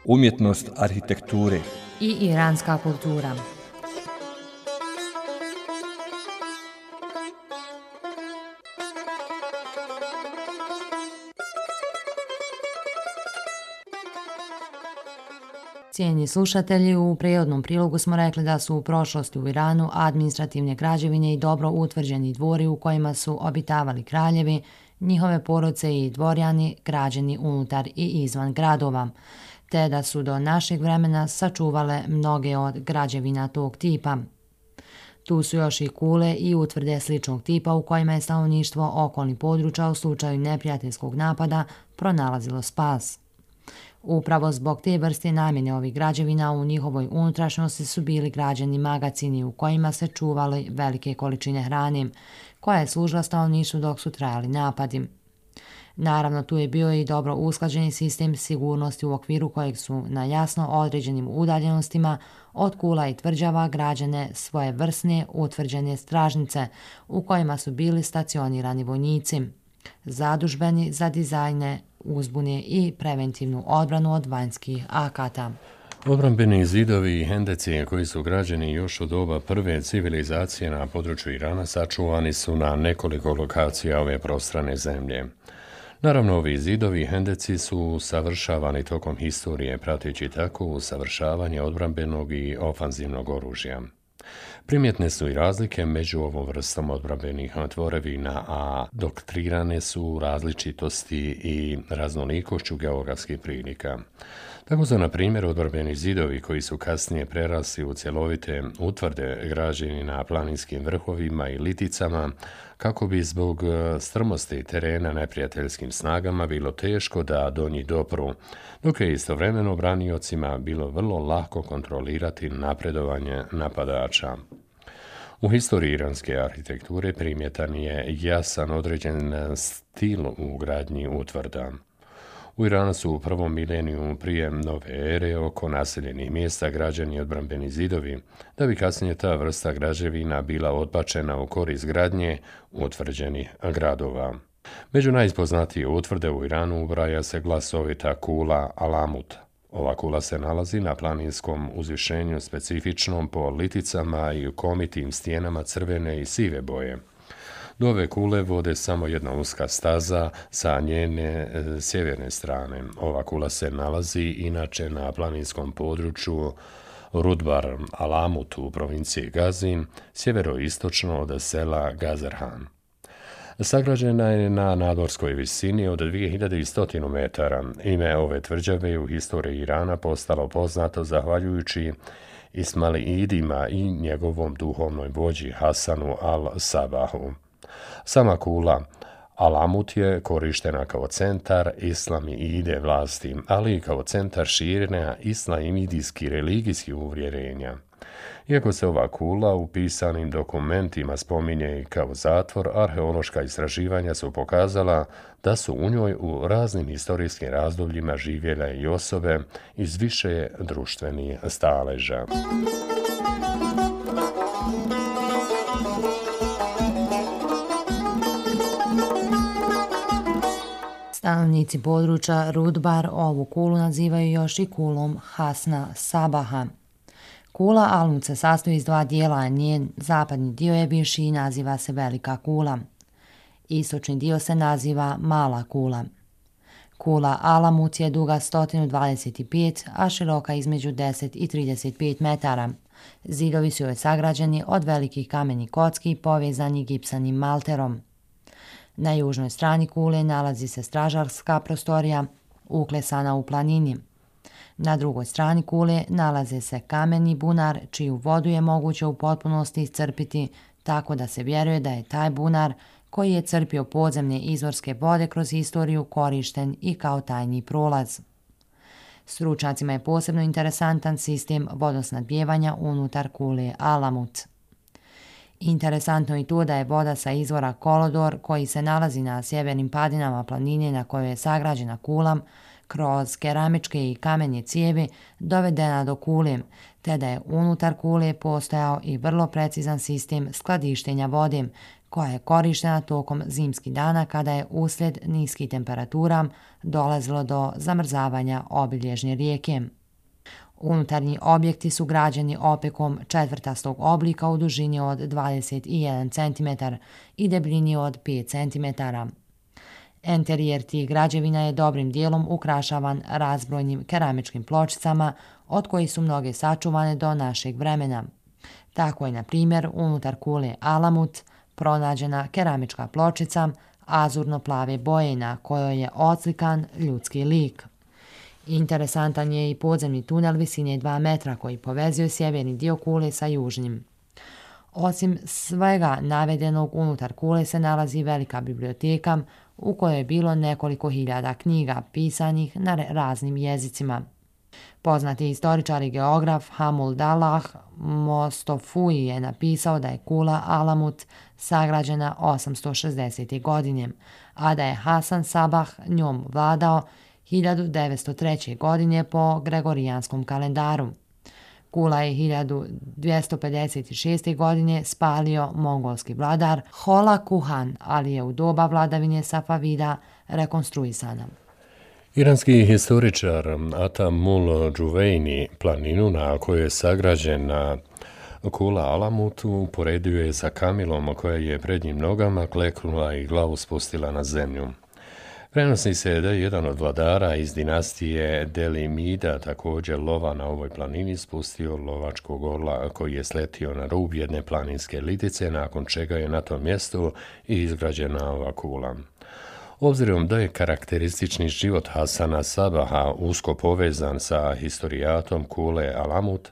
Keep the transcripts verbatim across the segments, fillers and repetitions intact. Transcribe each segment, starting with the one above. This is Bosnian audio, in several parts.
umjetnost arhitekture i iranska kultura. Cijenjeni slušatelji, u prirodnom prilogu smo rekli da su u prošlosti u Iranu administrativne građevine i dobro utvrđeni dvori u kojima su obitavali kraljevi, njihove porodice i dvorjani građeni unutar i izvan gradova, te da su do našeg vremena sačuvale mnoge od građevina tog tipa. Tu su još i kule i utvrde sličnog tipa u kojima je stanovništvo okolnih područja u slučaju neprijateljskog napada pronalazilo spas. Upravo zbog te vrste namjene ovih građevina u njihovoj unutrašnjosti su bili građeni magacini u kojima se čuvali velike količine hrane, koja je služila stanovništvu dok su trajali napadi. Naravno, tu je bio i dobro usklađeni sistem sigurnosti u okviru kojeg su na jasno određenim udaljenostima od kula i tvrđava građene svoje vrsne utvrđene stražnice u kojima su bili stacionirani vojnici, zadužbeni za dizajne, uzbune i preventivnu odbranu od vanjskih akata. Odbrambeni zidovi i hendeci koji su građeni još u doba prve civilizacije na području Irana sačuvani su na nekoliko lokacija ove prostrane zemlje. Naravno, ovi zidovi i hendeci su usavršavani tokom historije, prateći tako usavršavanje odbrambenog i ofanzivnog oružja. Primjetne su i razlike među ovom vrstom odbrambenih tvorevina, a doktrirane su različitosti i raznolikošću geografskih prilika. Tako su, na primjer, odbrambeni zidovi koji su kasnije prerasli u cjelovite utvrde građeni na planinskim vrhovima i liticama, kako bi zbog strmosti terena neprijateljskim snagama bilo teško da do njih dopru, dok je istovremeno braniocima bilo vrlo lako kontrolirati napredovanje napadača. U historiji iranske arhitekture primjetan je jasan određen stil u gradnji utvrda. U Iranu su u prvom mileniju prije nove ere oko naseljenih mjesta građeni odbrambeni zidovi, da bi kasnije ta vrsta građevina bila odbačena u korist gradnje utvrđenih gradova. Među najpoznatije utvrde u Iranu ubraja se glasovita kula Alamut. Ova kula se nalazi na planinskom uzvišenju specifičnom po liticama i komitim stijenama crvene i sive boje. Do ove kule vode samo jedna uska staza sa njene e, sjeverne strane. Ova kula se nalazi inače na planinskom području Rudbar Alamut u provinciji Gazin, sjeveroistočno od sela Gazerhan. Sagrađena je na nadmorskoj visini od dvije hiljade sto metara. Ime ove tvrđave u historiji Irana postalo poznato zahvaljujući Ismailidima i njegovom duhovnoj vođi Hasanu al-Sabahu. Sama kula Alamut je korištena kao centar islamide vlasti, ali i kao centar širenja islamidijskih religijskih uvjerenja. Iako se ova kula u pisanim dokumentima spominje i kao zatvor, arheološka istraživanja su pokazala da su u njoj u raznim historijskim razdobljima živjele i osobe iz više društvenih staleža. Stanovnici područja Rudbar ovu kulu nazivaju još i kulom Hasna Sabaha. Kula Alamut se sastoji iz dva dijela, a njen zapadni dio je viši i naziva se Velika kula. Istočni dio se naziva Mala kula. Kula Alamut je duga sto dvadeset pet, a široka između deset i trideset pet metara. Zidovi su joj sagrađeni od velikih kamenih kocki povezani gipsanim malterom. Na južnoj strani kule nalazi se stražarska prostorija, uklesana u planini. Na drugoj strani kule nalaze se kameni bunar, čiju vodu je moguće u potpunosti iscrpiti, tako da se vjeruje da je taj bunar, koji je crpio podzemne izvorske vode kroz historiju, korišten i kao tajni prolaz. Stručnjacima je posebno interesantan sistem vodosnadbijevanja unutar kule Alamut. Interesantno je to da je voda sa izvora Kolodor, koji se nalazi na sjevernim padinama planine na kojoj je sagrađena kula, kroz keramičke i kamenje cijevi dovedena do kule, te da je unutar kule postojao i vrlo precizan sistem skladištenja vode, koja je korištena tokom zimskih dana kada je uslijed niskih temperatura dolazilo do zamrzavanja obilježnje rijeke. Unutarnji objekti su građeni opekom četvrtastog oblika u dužini od dvadeset jedan centimetar i debljini od pet centimetara. Enterijer tih građevina je dobrim dijelom ukrašavan razbrojnim keramičkim pločicama, od kojih su mnoge sačuvane do našeg vremena. Tako je, na primjer, unutar kule Alamut pronađena keramička pločica azurno-plave boje na kojoj je odslikan ljudski lik. Interesantan je i podzemni tunel visine dva metra koji povezuje sjeverni dio kule sa južnim. Osim svega navedenog, unutar kule se nalazi velika biblioteka u kojoj je bilo nekoliko hiljada knjiga pisanih na raznim jezicima. Poznati historičar i geograf Hamuldalah Mostofui je napisao da je kula Alamut sagrađena osamsto šezdesete. godine, a da je Hasan Sabah njom vladao hiljadu devetsto treće. godine po gregorijanskom kalendaru. Kula je hiljadu dvjesto pedeset šeste. godine spalio mongolski vladar Hola Kuhan, ali je u doba vladavine Safavida rekonstruisana. Iranski historičar Atamul Džuvejni planinu na kojoj je sagrađena kula Alamut uporedio je sa kamilom koja je prednjim nogama kleknula i glavu spustila na zemlju. Prenosi se da je jedan od vladara iz dinastije Delimida također lova na ovoj planini spustio lovačkog orla koji je sletio na rub jedne planinske litice, nakon čega je na tom mjestu i izgrađena ova kula. Obzirom da je karakteristični život Hasana Sabaha usko povezan sa historijatom kule Alamut,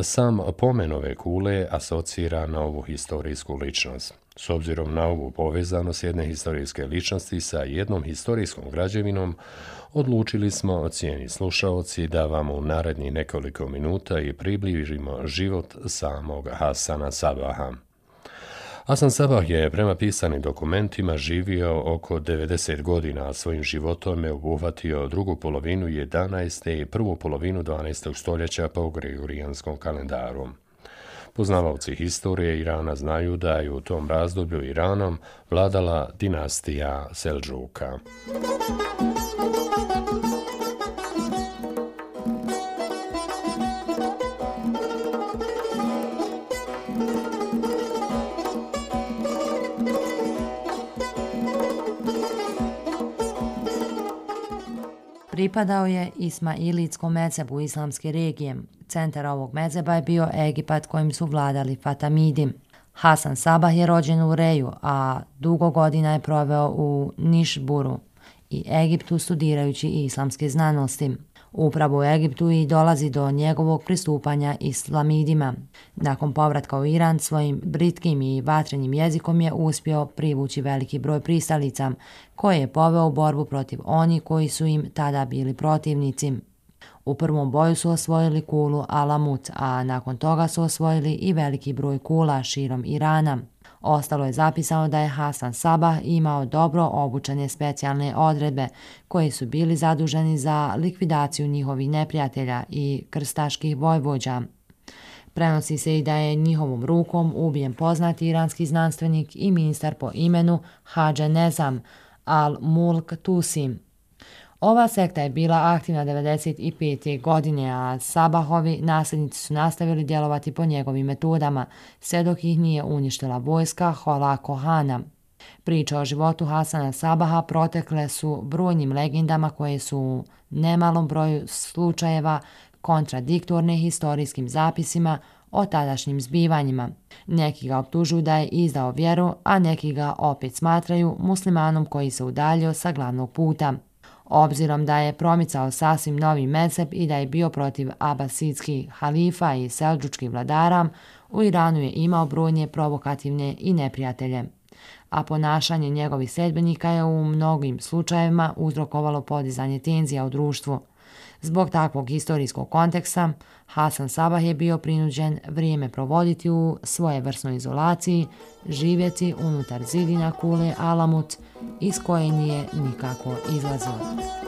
sam pomen ove kule asocira na ovu historijsku ličnost. S obzirom na ovu povezanost jedne historijske ličnosti sa jednom historijskom građevinom, odlučili smo, cijeni slušaoci, da vam u narednih nekoliko minuta i približimo život samog Hasana Sabaha. Hasan Sabah je prema pisanim dokumentima živio oko devedeset godina, a svojim životom je obuhvatio drugu polovinu jedanaestog i prvu polovinu dvanaestog stoljeća po gregorijanskom kalendaru. Poznavaoci historije Irana znaju da je u tom razdoblju Iranom vladala dinastija Seldžuka. Pripadao je Ismailitskom mezhebu islamske regije. Centar ovog mezheba je bio Egipat kojim su vladali Fatamidi. Hasan Sabah je rođen u Reju, a dugo godina je proveo u Nišburu i Egiptu studirajući islamske znanosti. Upravo u Egiptu i dolazi do njegovog pristupanja islamidima. Nakon povratka u Iran svojim britkim i vatrenim jezikom je uspio privući veliki broj pristalica, koje je poveo u borbu protiv oni koji su im tada bili protivnici. U prvom boju su osvojili kulu Alamut, a nakon toga su osvojili i veliki broj kula širom Irana. Ostalo je zapisano da je Hasan Sabah imao dobro obučene specijalne odredbe koje su bili zaduženi za likvidaciju njihovih neprijatelja i krstaških vojvođa. Prenosi se i da je njihovom rukom ubijen poznati iranski znanstvenik i ministar po imenu Hadže Nezam al-Mulk Tusi. Ova sekta je bila aktivna devedeset pete. godine, a Sabahovi nasljednici su nastavili djelovati po njegovim metodama, sve dok ih nije uništila vojska Hola Kohana. Priče o životu Hasana Sabaha protekle su brojnim legendama koje su u nemalom broju slučajeva kontradiktorne historijskim zapisima o tadašnjim zbivanjima. Neki ga optužuju da je izdao vjeru, a neki ga opet smatraju muslimanom koji se udaljio sa glavnog puta. Obzirom da je promicao sasvim novi mezheb i da je bio protiv abasidskih halifa i seldžučkih vladara, u Iranu je imao brojne provokativne i neprijatelje, a ponašanje njegovih sledbenika je u mnogim slučajevima uzrokovalo podizanje tenzija u društvu. Zbog takvog historijskog konteksta, Hasan Sabah je bio prinuđen vrijeme provoditi u svojevrsnoj izolaciji, živjeti unutar zidina kule Alamut, iz koje nije nikako izlazio.